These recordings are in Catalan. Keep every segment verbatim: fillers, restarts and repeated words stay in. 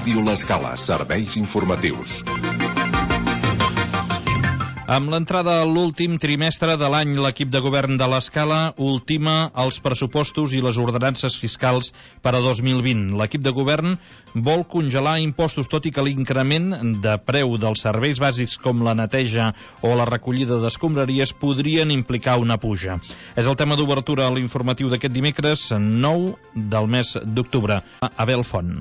Ràdio L'Escala, serveis informatius. Amb l'entrada a l'últim trimestre de l'any, l'equip de govern de l'Escala ultima els pressupostos i les ordenances fiscals per a dos mil vint. L'equip de govern vol congelar impostos, tot i que l'increment de preu dels serveis bàsics com la neteja o la recollida d'escombraries podrien implicar una puja. És el tema d'obertura a l'informatiu d'aquest dimecres nou del mes d'octubre. Abel Font.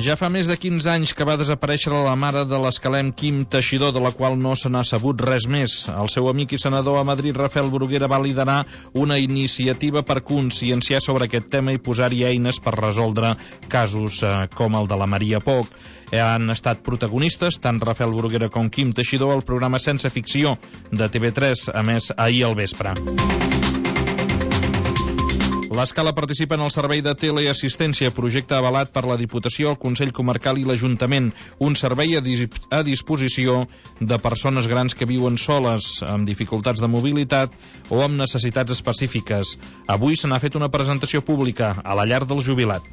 Ja fa més de quinze anys que va desaparèixer la mare de l'escalem Quim Teixidor, de la qual no se n'ha sabut res més. El seu amic i senador a Madrid, Rafael Bruguera, va liderar una iniciativa per conscienciar sobre aquest tema i posar-hi eines per resoldre casos eh, com el de la Maria Poch. Han estat protagonistes tant Rafael Bruguera com Quim Teixidor al programa Sense Ficció de T V tres, emès ahir al vespre. L'Escala participa en el servei de teleassistència, projecte avalat per la Diputació, el Consell Comarcal i l'Ajuntament, un servei a, dis a disposició de persones grans que viuen soles, amb dificultats de mobilitat o amb necessitats específiques. Avui se n'ha fet una presentació pública a la llar del jubilat.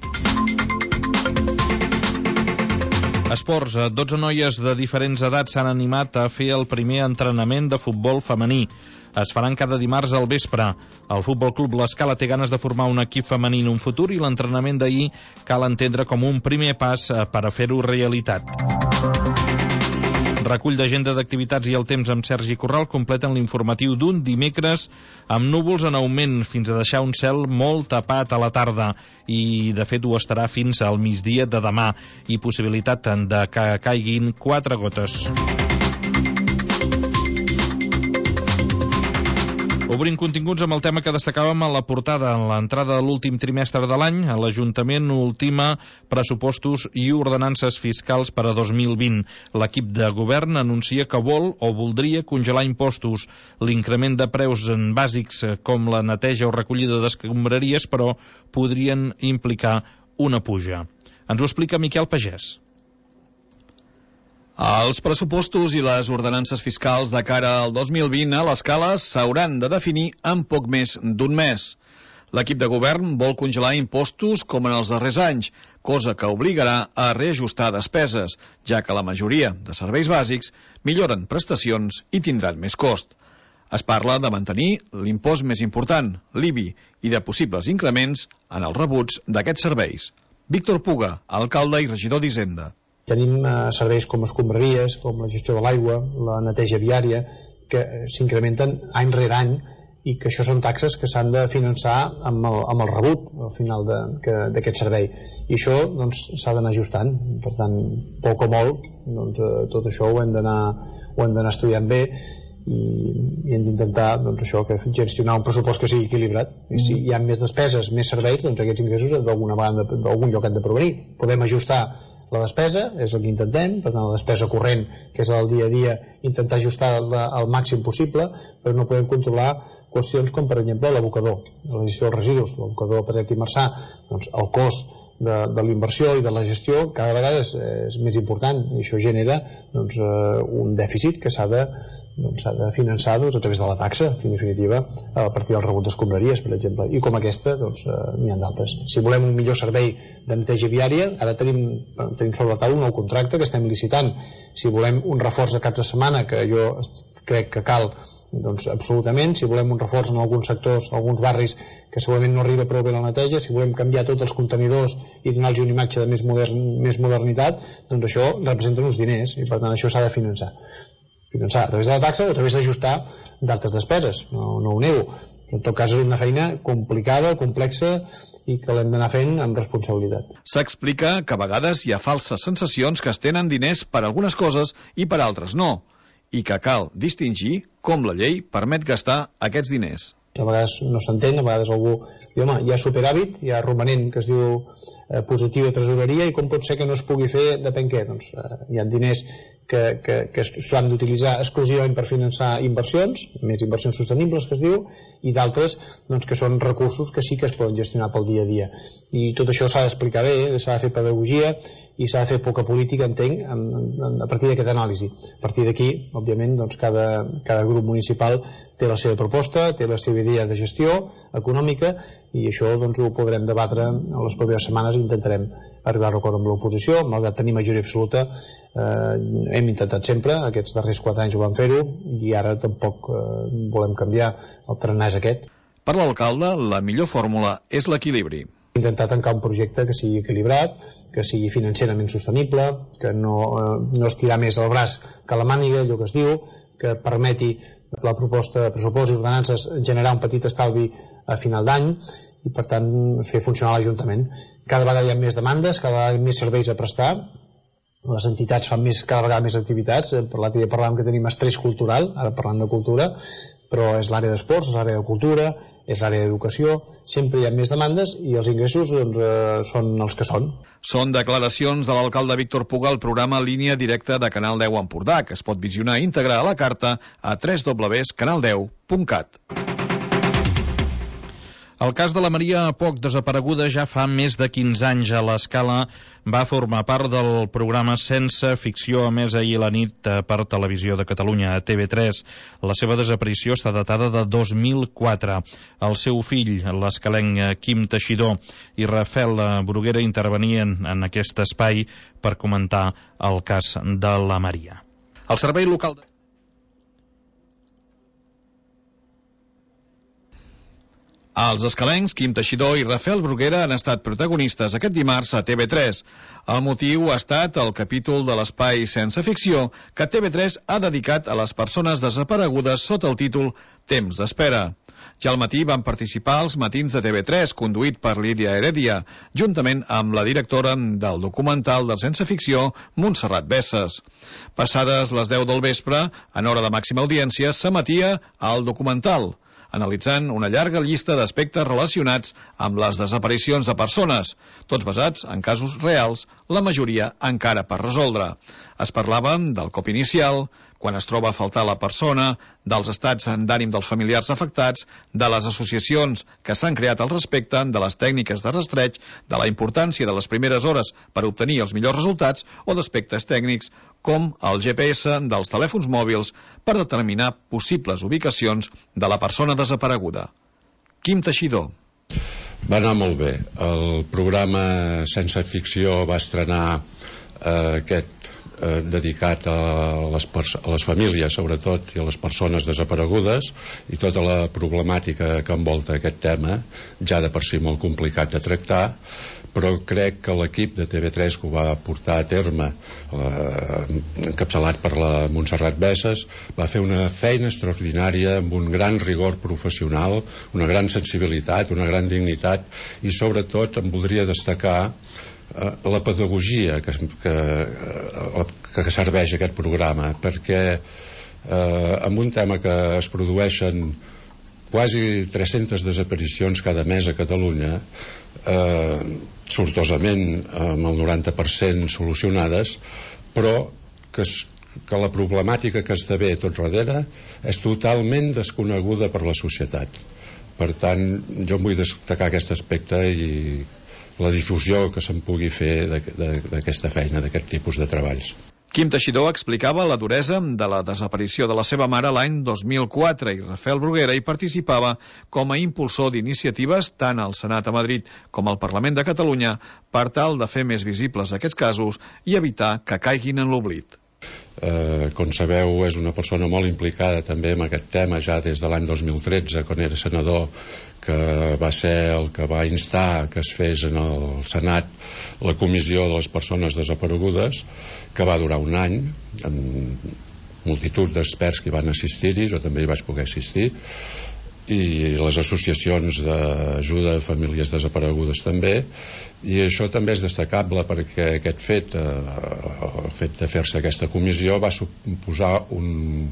Esports. dotze noies de diferents edats s'han animat a fer el primer entrenament de futbol femení. Es faran cada dimarts al vespre. El Futbol Club L'Escala té ganes de formar un equip femení en un futur i l'entrenament d'ahir cal entendre com un primer pas per a fer-ho realitat. Recull d'agenda d'activitats i el temps amb Sergi Corral completen l'informatiu d'un dimecres amb núvols en augment fins a deixar un cel molt tapat a la tarda i de fet ho estarà fins al migdia de demà i possibilitat de que caiguin quatre gotes. Obrim continguts amb el tema que destacàvem a la portada. En l'entrada de l'últim trimestre de l'any, l'Ajuntament ultima pressupostos i ordenances fiscals per a dos mil vint. L'equip de govern anuncia que vol o voldria congelar impostos. L'increment de preus en bàsics com la neteja o recollida d'escombraries, però, podrien implicar una puja. Ens ho explica Miquel Pagès. Els pressupostos i les ordenances fiscals de cara al dos mil vint a l'Escala s'hauran de definir en poc més d'un mes. L'equip de govern vol congelar impostos com en els darrers anys, cosa que obligarà a reajustar despeses, ja que la majoria de serveis bàsics milloren prestacions i tindran més cost. Es parla de mantenir l'impost més important, l'I B I, i de possibles increments en els rebuts d'aquests serveis. Víctor Puga, alcalde i regidor d'Hisenda. Tenim eh, serveis com escombraries, com la gestió de l'aigua, la neteja viària, que s'incrementen any rere any i que això són taxes que s'han de finançar amb el, amb el rebut al final d'aquest servei. I això doncs, s'ha d'anar ajustant. Per tant, poc o molt, doncs, eh, tot això ho hem d'anar estudiant bé i, i hem d'intentar doncs, això, que gestionar un pressupost que sigui equilibrat. I si hi ha més despeses, més serveis, doncs aquests ingressos d'alguna vegada d'algun lloc han de provenir. Podem ajustar la despesa, és el que intentem, per tant la despesa corrent, que és el dia a dia, intentar ajustar-la al màxim possible, però no podem controlar qüestions com, per exemple, l'abocador, la gestió dels residus, l'abocador Pedret i Marçà, doncs el cost de, de la inversió i de la gestió cada vegada és, és més important i això genera doncs, un dèficit que s'ha de, doncs, s'ha de finançar doncs, a través de la taxa, en definitiva, a partir del rebut d'escombraries, per exemple, i com aquesta doncs, n'hi ha d'altres. Si volem un millor servei de neteja viària, ara tenim, tenim sobre la taula un nou contracte que estem licitant. Si volem un reforç de caps de setmana, que jo crec que cal, doncs absolutament. Si volem un reforç en alguns sectors, alguns barris que segurament no arriba prou bé la neteja, si volem canviar tots els contenidors i donar-los una imatge de més, modern, més modernitat, doncs això representa uns diners i per tant això s'ha de finançar. Finançar a través de la taxa o a través d'ajustar d'altres despeses, no, no ho nego. Però en tot cas és una feina complicada, complexa i que l'hem d'anar fent amb responsabilitat. S'explica que a vegades hi ha falses sensacions que es tenen diners per algunes coses i per altres no, i que cal distingir com la llei permet gastar aquests diners. a vegades no s'entén, a vegades algú diu, home, hi ha superàvit, hi ha romanent que es diu eh, positiu de tresoreria, i com pot ser que no es pugui fer depèn què? Doncs eh, hi ha diners que, que, que s'han d'utilitzar exclusivament per finançar inversions, més inversions sostenibles que es diu, i d'altres doncs, que són recursos que sí que es poden gestionar pel dia a dia. I tot això s'ha d'explicar bé, s'ha de fer pedagogia i s'ha de fer poca política, entenc, en, en, a partir d'aquesta anàlisi. A partir d'aquí, òbviament, doncs, cada, cada grup municipal té la seva proposta, té la seva idea de gestió econòmica, i això doncs, ho podrem debatre en les properes setmanes i intentarem arribar a l'acord amb l'oposició. Malgrat tenir majoria absoluta, eh, hem intentat sempre, aquests darrers quatre anys ho vam fer-ho, i ara tampoc eh, volem canviar. El tarannà és aquest. Per l'alcalde, la millor fórmula és l'equilibri. Intentar tancar un projecte que sigui equilibrat, que sigui financerament sostenible, que no, eh, no estirar més el braç que la màniga, allò que es diu, que permeti la proposta de pressupost i ordenances generar un petit estalvi a final d'any i, per tant, fer funcionar l'Ajuntament. Cada vegada hi ha més demandes, cada vegada hi ha més serveis a prestar, les entitats fan més, cada vegada més activitats. L'altre dia parlàvem que tenim estrès cultural, ara parlant de cultura, però és l'àrea d'esports, és l'àrea de cultura, és l'àrea d'educació, sempre hi ha més demandes i els ingressos doncs, eh, són els que són. Són declaracions de l'alcalde Víctor Puga al programa Línia Directa de Canal deu Empordà, que es pot visionar íntegre a la carta a w w w punt canal deu punt cat. El cas de la Maria Poch, desapareguda ja fa més de quinze anys a l'Escala, va formar part del programa Sense Ficció, emès ahir a la nit per Televisió de Catalunya, a T V tres. La seva desaparició està datada de dos mil quatre. El seu fill, l'escalenc Quim Teixidor, i Rafael Bruguera intervenien en aquest espai per comentar el cas de la Maria. El servei local de... Els escalencs Quim Teixidor i Rafael Bruguera han estat protagonistes aquest dimarts a T V tres. El motiu ha estat el capítol de l'espai Sense Ficció que T V tres ha dedicat a les persones desaparegudes sota el títol Temps d'espera. Ja al matí van participar als matins de T V tres, conduït per Lídia Heredia, juntament amb la directora del documental del Sense Ficció, Montserrat Besses. Passades les deu del vespre, en hora de màxima audiència, s'emetia el documental, analitzant una llarga llista d'aspectes relacionats amb les desaparicions de persones, tots basats en casos reals, la majoria encara per resoldre. Es parlava del cop inicial, quan es troba a faltar la persona, dels estats d'ànim dels familiars afectats, de les associacions que s'han creat al respecte, de les tècniques de rastreig, de la importància de les primeres hores per obtenir els millors resultats o d'aspectes tècnics com el G P S dels telèfons mòbils per determinar possibles ubicacions de la persona desapareguda. Quim Teixidor. Va anar molt bé. El programa Sense Ficció va estrenar eh, aquest eh, dedicat a les, a les famílies, sobretot, i a les persones desaparegudes, i tota la problemàtica que envolta aquest tema, ja de per si molt complicat de tractar, però crec que l'equip de T V tres que ho va portar a terme, eh, encapçalat per la Montserrat Besses, va fer una feina extraordinària amb un gran rigor professional, una gran sensibilitat, una gran dignitat, i sobretot em voldria destacar eh, la pedagogia que, que, que, que serveix aquest programa, perquè eh, amb un tema que es produeixen quasi tres-centes desaparicions cada mes a Catalunya, eh, sortosament amb el noranta per cent solucionades, però que, es, que la problemàtica que esdevé tot darrere és totalment desconeguda per la societat. Per tant, jo em vull destacar aquest aspecte i la difusió que se'n pugui fer d'aquesta feina, d'aquest tipus de treballs. Quim Teixidor explicava la duresa de la desaparició de la seva mare l'any dos mil quatre i Rafael Bruguera hi participava com a impulsor d'iniciatives tant al Senat a Madrid com al Parlament de Catalunya per tal de fer més visibles aquests casos i evitar que caiguin en l'oblit. Eh, com sabeu, és una persona molt implicada també en aquest tema ja des de l'any dos mil tretze, quan era senador, que va ser el que va instar que es fes en el Senat la comissió de les persones desaparegudes, que va durar un any amb multitud d'experts que hi van assistir-hi, jo també hi vaig poder assistir, i les associacions d'ajuda a famílies desaparegudes també, i això també és destacable perquè aquest fet, eh, el fet de fer-se aquesta comissió va suposar un,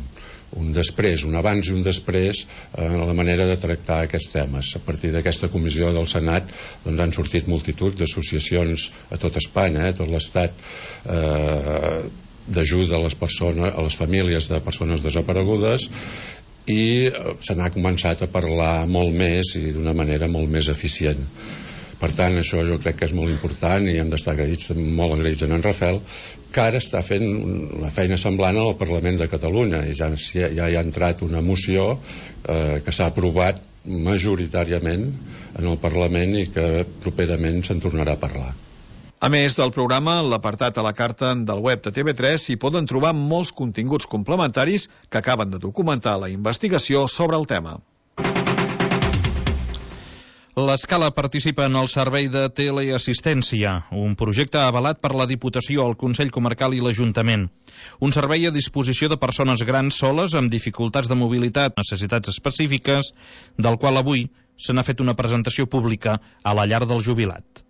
un després, un abans i un després en la manera de tractar aquests temes. A partir d'aquesta comissió del Senat doncs han sortit multitud d'associacions a tot Espanya, eh, a tot l'Estat, eh, d'ajuda a les persones, a les famílies de persones desaparegudes, i se n'ha començat a parlar molt més i d'una manera molt més eficient. Per tant, això jo crec que és molt important i hem d'estar agraïts, molt agraïts en en Rafel, que ara està fent una feina semblant al Parlament de Catalunya i ja, ja hi ha entrat una moció eh, que s'ha aprovat majoritàriament en el Parlament i que properament se'n tornarà a parlar. A més del programa, l'apartat a la carta del web de T V tres s'hi poden trobar molts continguts complementaris que acaben de documentar la investigació sobre el tema. L'Escala participa en el servei de teleassistència, un projecte avalat per la Diputació, el Consell Comarcal i l'Ajuntament. Un servei a disposició de persones grans soles amb dificultats de mobilitat, necessitats específiques, del qual avui se n'ha fet una presentació pública a la llar del jubilat.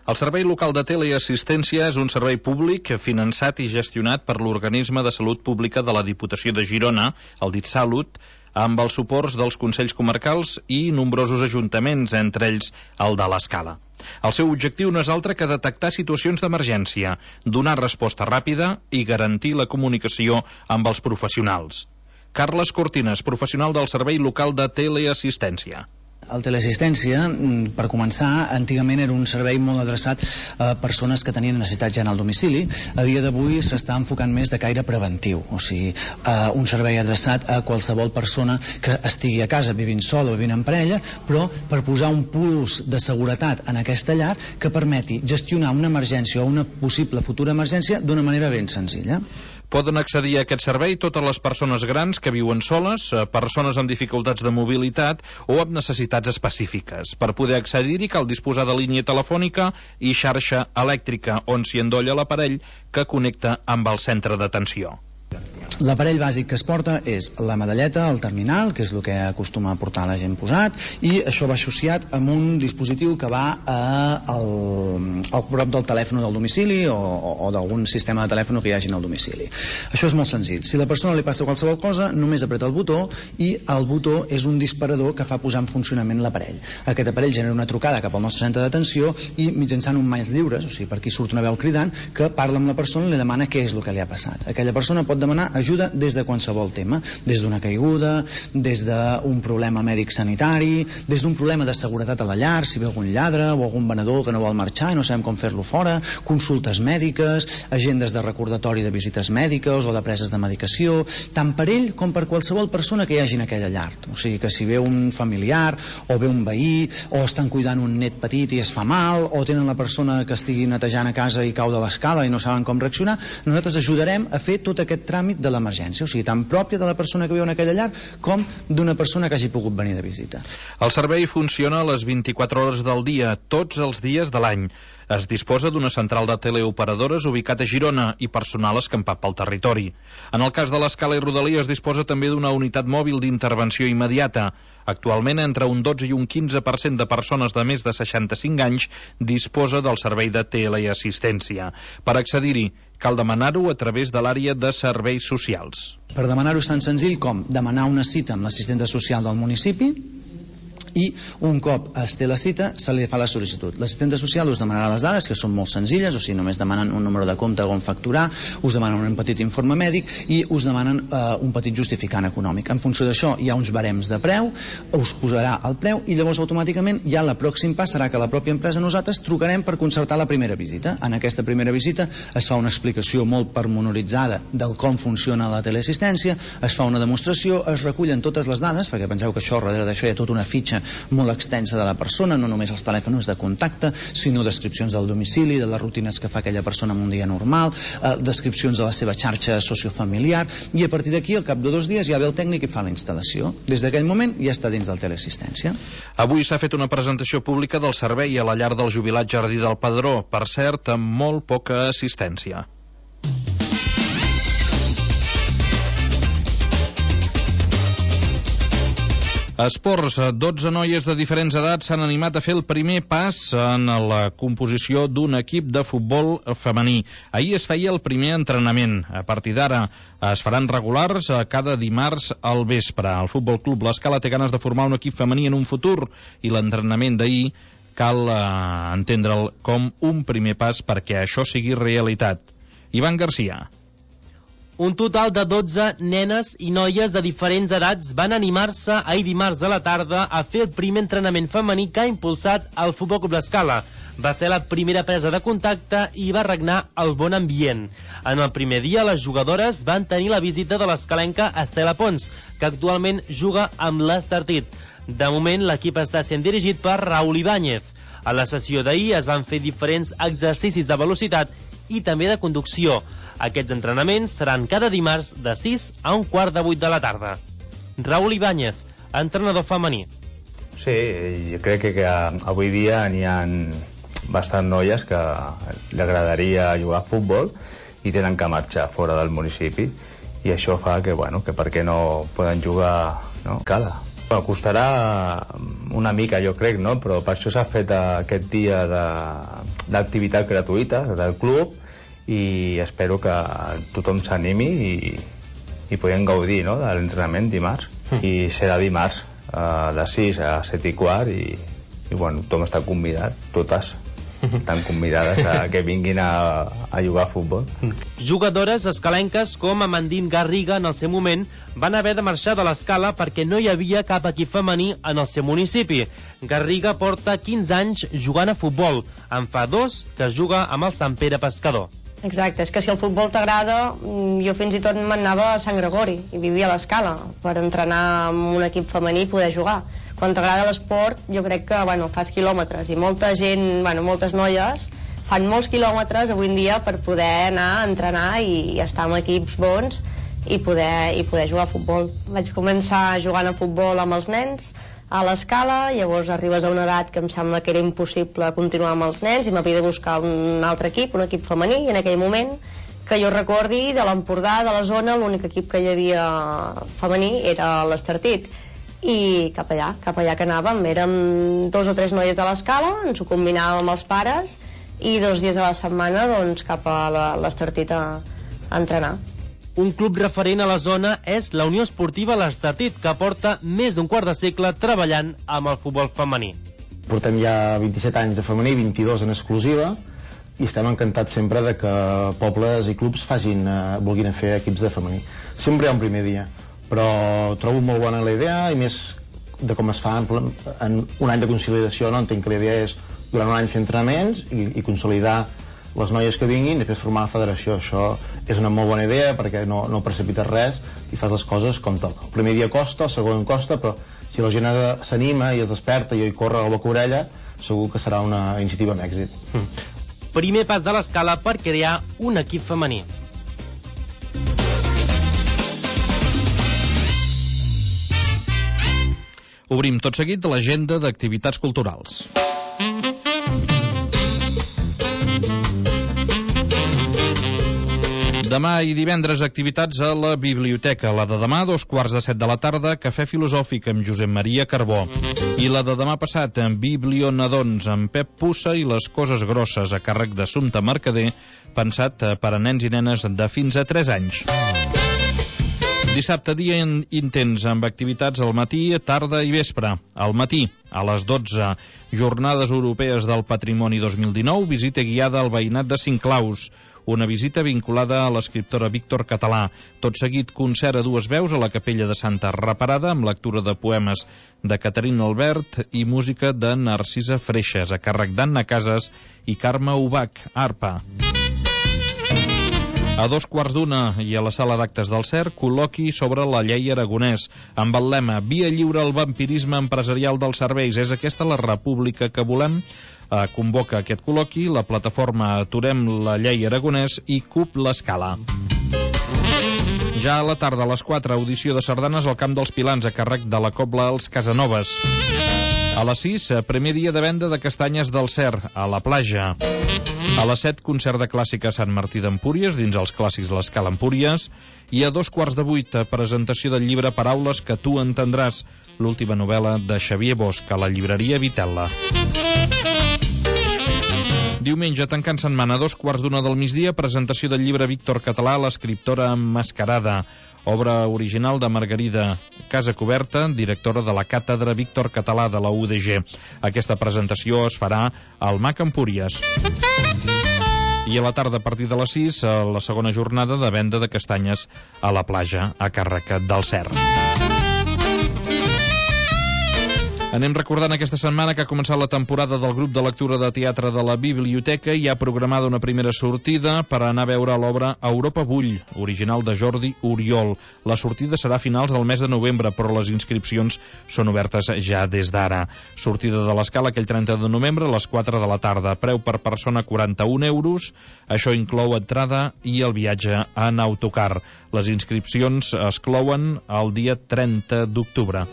El Servei Local de Teleassistència és un servei públic finançat i gestionat per l'Organisme de Salut Pública de la Diputació de Girona, el DITSalut, amb els suports dels Consells Comarcals i nombrosos ajuntaments, entre ells el de l'Escala. El seu objectiu no és altre que detectar situacions d'emergència, donar resposta ràpida i garantir la comunicació amb els professionals. Carles Cortines, professional del Servei Local de Teleassistència. El teleassistència, per començar, antigament era un servei molt adreçat a persones que tenien necessitats ja en el domicili. A dia d'avui s'està enfocant més de caire preventiu, o sigui, uh, un servei adreçat a qualsevol persona que estigui a casa vivint sola o vivint en parella, però per posar un plus de seguretat en aquesta llar que permeti gestionar una emergència o una possible futura emergència d'una manera ben senzilla. Poden accedir a aquest servei totes les persones grans que viuen soles, persones amb dificultats de mobilitat o amb necessitats específiques. Per poder accedir-hi cal disposar de línia telefònica i xarxa elèctrica on s'hi endolla l'aparell que connecta amb el centre d'atenció. L'aparell bàsic que es porta és la medalleta, el terminal, que és el que acostuma a portar la gent posat, i això va associat amb un dispositiu que va a, al, al prop del telèfon del domicili o, o, o d'algun sistema de telèfon que hi hagi al domicili. Això és molt senzill. Si la persona li passa qualsevol cosa, només apreta el botó i el botó és un disparador que fa posar en funcionament l'aparell. Aquest aparell genera una trucada cap al nostre centre d'atenció i mitjançant un mans lliures, o sigui, per aquí surt una veu cridant, que parla amb la persona i li demana què és el que li ha passat. Aquella persona pot demanar ajuda des de qualsevol tema, des d'una caiguda, des d'un problema mèdic sanitari, des d'un problema de seguretat a la llar, si ve algun lladre o algun venedor que no vol marxar i no sabem com fer-lo fora, consultes mèdiques, agendes de recordatori de visites mèdiques o de preses de medicació, tant per ell com per qualsevol persona que hi hagi en aquella llar. O sigui que si ve un familiar o ve un veí o estan cuidant un net petit i es fa mal o tenen la persona que estigui netejant a casa i cau de l'escala i no saben com reaccionar, nosaltres ajudarem a fer tot aquest tràmit de l'emergència, o sigui, tan pròpia de la persona que viu en aquella llar com d'una persona que hagi pogut venir de visita. El servei funciona a les vint-i-quatre hores del dia, tots els dies de l'any. Es disposa d'una central de teleoperadores ubicat a Girona i personal escampat pel territori. En el cas de l'Escala i Rodalia es disposa també d'una unitat mòbil d'intervenció immediata. Actualment, entre un dotze i un quinze per cent de persones de més de seixanta-cinc anys disposa del servei de teleassistència. Per accedir-hi, cal demanar-ho a través de l'àrea de serveis socials. Per demanar-ho és tan senzill com demanar una cita amb l'assistenta social del municipi i un cop es té la cita se li fa la sol·licitud. L'assistenta social us demanarà les dades, que són molt senzilles, o sigui, només demanen un número de compte on facturar, us demanen un petit informe mèdic i us demanen eh, un petit justificant econòmic. En funció d'això hi ha uns barems de preu, us posarà el preu i llavors automàticament ja el pròxim pas serà que la pròpia empresa nosaltres trucarem per concertar la primera visita. En aquesta primera visita es fa una explicació molt pormenoritzada del com funciona la teleassistència, es fa una demostració, es recullen totes les dades, perquè penseu que això darrere d'això hi ha tota una fitxa molt extensa de la persona, no només els telèfons de contacte, sinó descripcions del domicili, de les rutines que fa aquella persona en un dia normal, eh, descripcions de la seva xarxa sociofamiliar, i a partir d'aquí, al cap de dos dies, ja ve el tècnic i fa la instal·lació. Des d'aquell moment ja està dins del teleassistència. Avui s'ha fet una presentació pública del servei a la llar del jubilat Jardí del Pedró, per cert, amb molt poca assistència. Esports, dotze noies de diferents edats s'han animat a fer el primer pas en la composició d'un equip de futbol femení. Ahir es feia el primer entrenament. A partir d'ara es faran regulars cada dimarts al vespre. El Futbol Club L'Escala té ganes de formar un equip femení en un futur i l'entrenament d'ahir cal eh, entendre'l com un primer pas perquè això sigui realitat. Ivan Garcia. Un total de dotze nenes i noies de diferents edats van animar-se ahir dimarts a la tarda a fer el primer entrenament femení que ha impulsat el Futbol Club L'Escala. Va ser la primera presa de contacte i va regnar el bon ambient. En el primer dia, les jugadores van tenir la visita de l'escalenca Estela Pons, que actualment juga amb l'Estartit. De moment, l'equip està sent dirigit per Raúl Ibáñez. A la sessió d'ahir es van fer diferents exercicis de velocitat i també de conducció. Aquests entrenaments seran cada dimarts de sis a un quart de vuit de la tarda. Raúl Ibáñez, entrenador femení. Sí, jo crec que, que avui dia n'hi ha bastant noies que li agradaria jugar a futbol i tenen que marxar fora del municipi i això fa que, bueno, que per què no poden jugar, no? Cala. Bueno, costarà una mica, jo crec, no? Però per això s'ha fet aquest dia d'activitat gratuïta del club i espero que tothom s'animi i, i puguem gaudir, no?, de l'entrenament dimarts. Mm. I serà dimarts uh, de sis a set i quart i, i bueno, tothom està convidat, totes estan convidades a que vinguin a, a jugar a futbol. Jugadores escalenques com Amandine Garriga en el seu moment van haver de marxar de l'Escala perquè no hi havia cap equip femení en el seu municipi. Garriga porta quinze anys jugant a futbol. En fa dos que juga amb el Sant Pere Pescador. Exacte, és que si el futbol t'agrada, jo fins i tot m'anava a Sant Gregori i vivia a l'Escala per entrenar amb un equip femení i poder jugar. Quan t'agrada l'esport, jo crec que, bueno, fas quilòmetres i molta gent, bueno, moltes noies fan molts quilòmetres avui en dia per poder anar a entrenar i, i estar en equips bons i poder, i poder jugar a futbol. Vaig començar jugant a futbol amb els nens a l'Escala, llavors arribes a una edat que em sembla que era impossible continuar amb els nens i m'havia de buscar un altre equip, un equip femení, i en aquell moment que jo recordi de l'Empordà, de la zona, l'únic equip que hi havia femení era l'Estartit. I cap allà, cap allà que anàvem, érem dos o tres noies de l'Escala, ens ho combinàvem amb els pares i dos dies a la setmana doncs cap a l'Estartit a, a entrenar. Un club referent a la zona és la Unió Esportiva L'Estartit, que porta més d'un quart de segle treballant amb el futbol femení. Portem ja vint-i-set anys de femení, vint-i-dos en exclusiva, i estem encantats sempre de que pobles i clubs facin, eh, vulguin fer equips de femení. Sempre hi ha un primer dia, però trobo molt bona la idea, i més de com es fa en, en un any de consolidació, no? Entenc que la idea és durant un any fer entrenaments i, i consolidar les noies que vinguin i després formar la federació. Això és una molt bona idea perquè no, no precipites res i fas les coses com toca. El primer dia costa, el segon costa, però si la gent s'anima i es desperta i corre a la boca orella, segur que serà una iniciativa amb èxit. Mm. Primer pas de l'Escala per crear un equip femení. Obrim tot seguit l'agenda d'activitats culturals. Demà i divendres activitats a la biblioteca. La de demà, dos quarts de set de la tarda, cafè filosòfic amb Josep Maria Carbó. I la de demà passat, amb Biblionadons, amb Pep Pussa i les coses grosses, a càrrec d'Assumpta Mercader, pensat per a nens i nenes de fins a tres anys. Dissabte, dia intens, amb activitats al matí, tarda i vespre. Al matí, a les dotze, Jornades Europees del Patrimoni dos mil dinou, visita guiada al veïnat de Cinclaus. Una visita vinculada a l'escriptora Víctor Català. Tot seguit, concert a dues veus a la Capella de Santa Reparada, amb lectura de poemes de Caterina Albert i música de Narcisa Freixas, a càrrec d'Anna Casas i Carme Ubach, arpa. A dos quarts d'una i a la sala d'actes del C E R, col·loqui sobre la llei aragonès, amb el lema Via lliure al vampirisme empresarial dels serveis. És aquesta la república que volem? Eh, convoca aquest col·loqui la plataforma Aturem la llei aragonès i C U P l'Escala. Ja a la tarda, a les quatre, audició de sardanes al Camp dels Pilans, a càrrec de la Cobla Els Casanovas. A les sis, primer dia de venda de castanyes del C E R, a la platja. A les set, concert de clàssica a Sant Martí d'Empúries, dins els clàssics de l'Escala Empúries. I a dos quarts de vuit, presentació del llibre Paraules que tu entendràs, l'última novel·la de Xavier Bosch, a la llibreria Vitella. Diumenge, tancant setmana, a dos quarts d'una del migdia, presentació del llibre Víctor Català, l'escriptora emmascarada, obra original de Margarida Casacoberta, directora de la càtedra Víctor Català de la U D G. Aquesta presentació es farà al M A C Empúries. I a la tarda, a partir de les sis, la segona jornada de venda de castanyes a la platja, a càrrec del Cer. Anem recordant aquesta setmana que ha començat la temporada del grup de lectura de teatre de la Biblioteca i ha programada una primera sortida per anar a veure l'obra Europa Bull, original de Jordi Oriol. La sortida serà a finals del mes de novembre, però les inscripcions són obertes ja des d'ara. Sortida de l'Escala aquell trenta de novembre a les quatre de la tarda. Preu per persona quaranta-un euros. Això inclou entrada i el viatge en autocar. Les inscripcions es clouen el dia trenta d'octubre.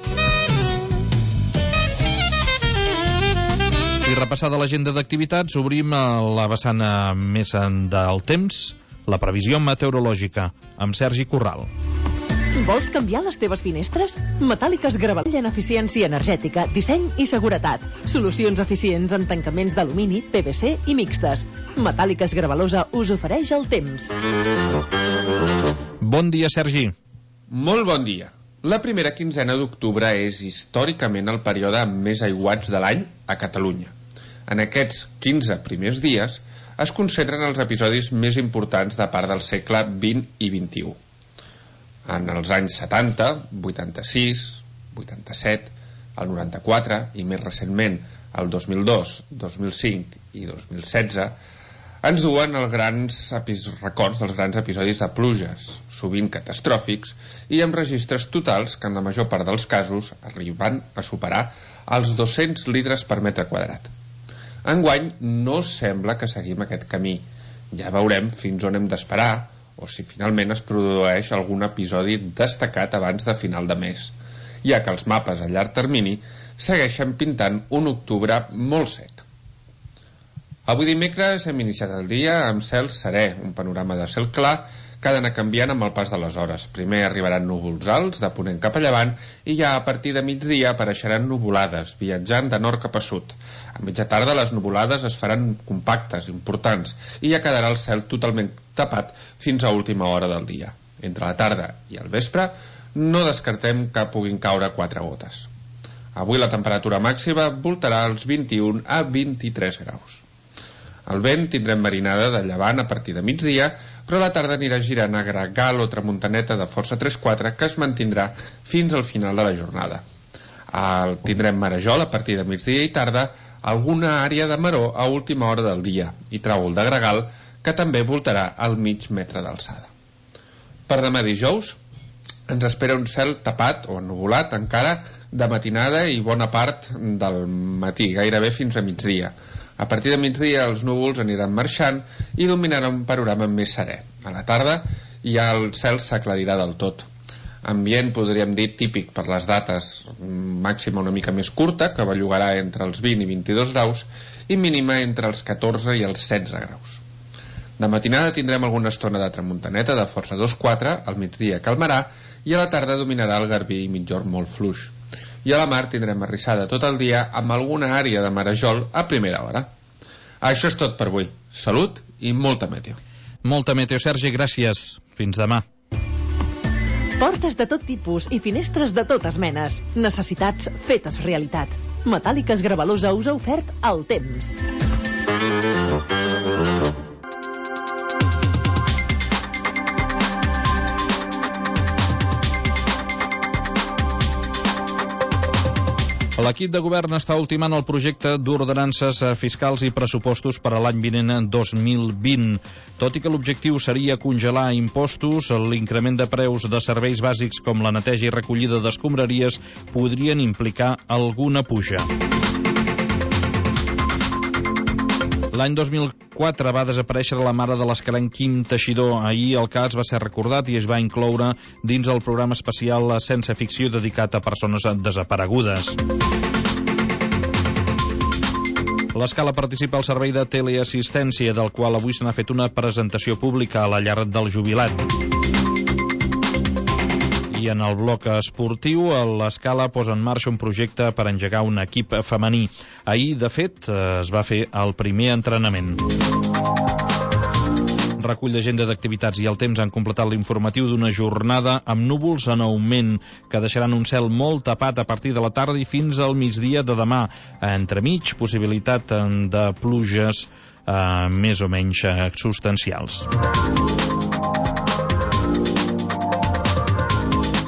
I repassada l'agenda d'activitats, obrim la vessant més del temps, la previsió meteorològica, amb Sergi Corral. Vols canviar les teves finestres? Metàl·liques Gravallosa en eficiència energètica, disseny i seguretat. Solucions eficients en tancaments d'alumini, P V C i mixtes. Metàl·liques Gravallosa us ofereix el temps. Bon dia, Sergi. Molt bon dia. La primera quinzena d'octubre és històricament el període amb més aiguats de l'any a Catalunya. En aquests quinze primers dies es concentren els episodis més importants de part del segle vint i vint-i-u. En els anys setanta, vuitanta-sis, vuitanta-set, el noranta-quatre i més recentment el dos mil dos, dos mil cinc i dos mil setze ens duen els grans records dels grans episodis de pluges, sovint catastròfics, i amb registres totals que en la major part dels casos arriben a superar els dos-cents litres per metre quadrat. Enguany no sembla que seguim aquest camí. Ja veurem fins on hem d'esperar o si finalment es produeix algun episodi destacat abans de final de mes, ja que els mapes a llarg termini segueixen pintant un octubre molt sec. Avui dimecres hem iniciat el dia amb cel serè, un panorama de cel clar que ha d'anar canviant amb el pas de les hores. Primer arribaran núvols alts de ponent cap a llevant i ja a partir de migdia apareixeran nuvolades, viatjant de nord cap a sud. A mitja tarda les nuvolades es faran compactes, importants, i ja quedarà el cel totalment tapat fins a última hora del dia. Entre la tarda i el vespre no descartem que puguin caure quatre gotes. Avui la temperatura màxima voltarà als vint-i-un a vint-i-tres graus. El vent tindrem marinada de llevant a partir de migdia, però a la tarda anirà girant a gregal o tramuntaneta de força tres quatre que es mantindrà fins al final de la jornada. El tindrem marejol a partir de migdia i tarda, alguna àrea de maró a última hora del dia i tràvol de gregal que també voltarà al mig metre d'alçada. Per demà dijous ens espera un cel tapat o ennuvolat encara de matinada i bona part del matí, gairebé fins a migdia. A partir de migdia els núvols aniran marxant i dominaran un panorama més serè. A la tarda ja el cel s'aclarirà del tot. Ambient, podríem dir, típic per les dates, màxima una mica més curta, que bellugarà entre els vint i vint-i-dos graus, i mínima entre els catorze i els setze graus. De matinada tindrem alguna estona de tramuntaneta de força dos quatre, al migdia calmarà, i a la tarda dominarà el garbí i migjorn molt fluix. I a la mar tindrem arrissada tot el dia amb alguna àrea de marejol a primera hora. Això és tot per avui. Salut i molta meteo. Molta meteo, Sergi, gràcies. Fins demà. Portes de tot tipus i finestres de totes menes. Necessitats fetes realitat. Metàl·liques Gravallosa us ha ofert el temps. L'equip de govern està ultimant el projecte d'ordenances fiscals i pressupostos per a l'any vinent dos mil vint. Tot i que l'objectiu seria congelar impostos, l'increment de preus de serveis bàsics com la neteja i recollida d'escombraries podrien implicar alguna puja. L'any dos mil quatre va desaparèixer la mare de l'escalenc Quim Teixidor. Ahir el cas va ser recordat i es va incloure dins el programa especial Sense Ficció dedicat a persones desaparegudes. L'Escala participa al servei de teleassistència, del qual avui se n'ha fet una presentació pública a la llar del jubilat. I en el bloc esportiu, l'Escala posa en marxa un projecte per engegar un equip femení. Ahir, de fet, es va fer el primer entrenament. Recull d'agenda d'activitats i el temps han completat l'informatiu d'una jornada amb núvols en augment, que deixaran un cel molt tapat a partir de la tarda i fins al migdia de demà. Entremig, possibilitat de pluges eh, més o menys eh, substancials.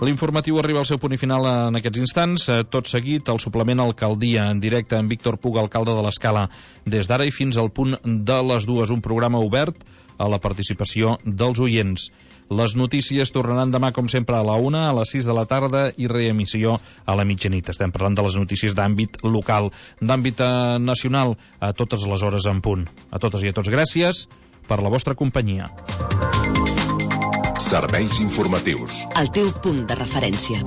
L'informatiu arriba al seu punt i final en aquests instants. Tot seguit, el suplement Alcaldia, en directe amb Víctor Puga, alcalde de l'Escala, des d'ara i fins al punt de les dues. Un programa obert a la participació dels oients. Les notícies tornaran demà, com sempre, a la una, a les sis de la tarda i reemissió a la mitjanit. Estem parlant de les notícies d'àmbit local, d'àmbit nacional, a totes les hores en punt. A totes i a tots, gràcies per la vostra companyia. Serveis informatius. El teu punt de referència.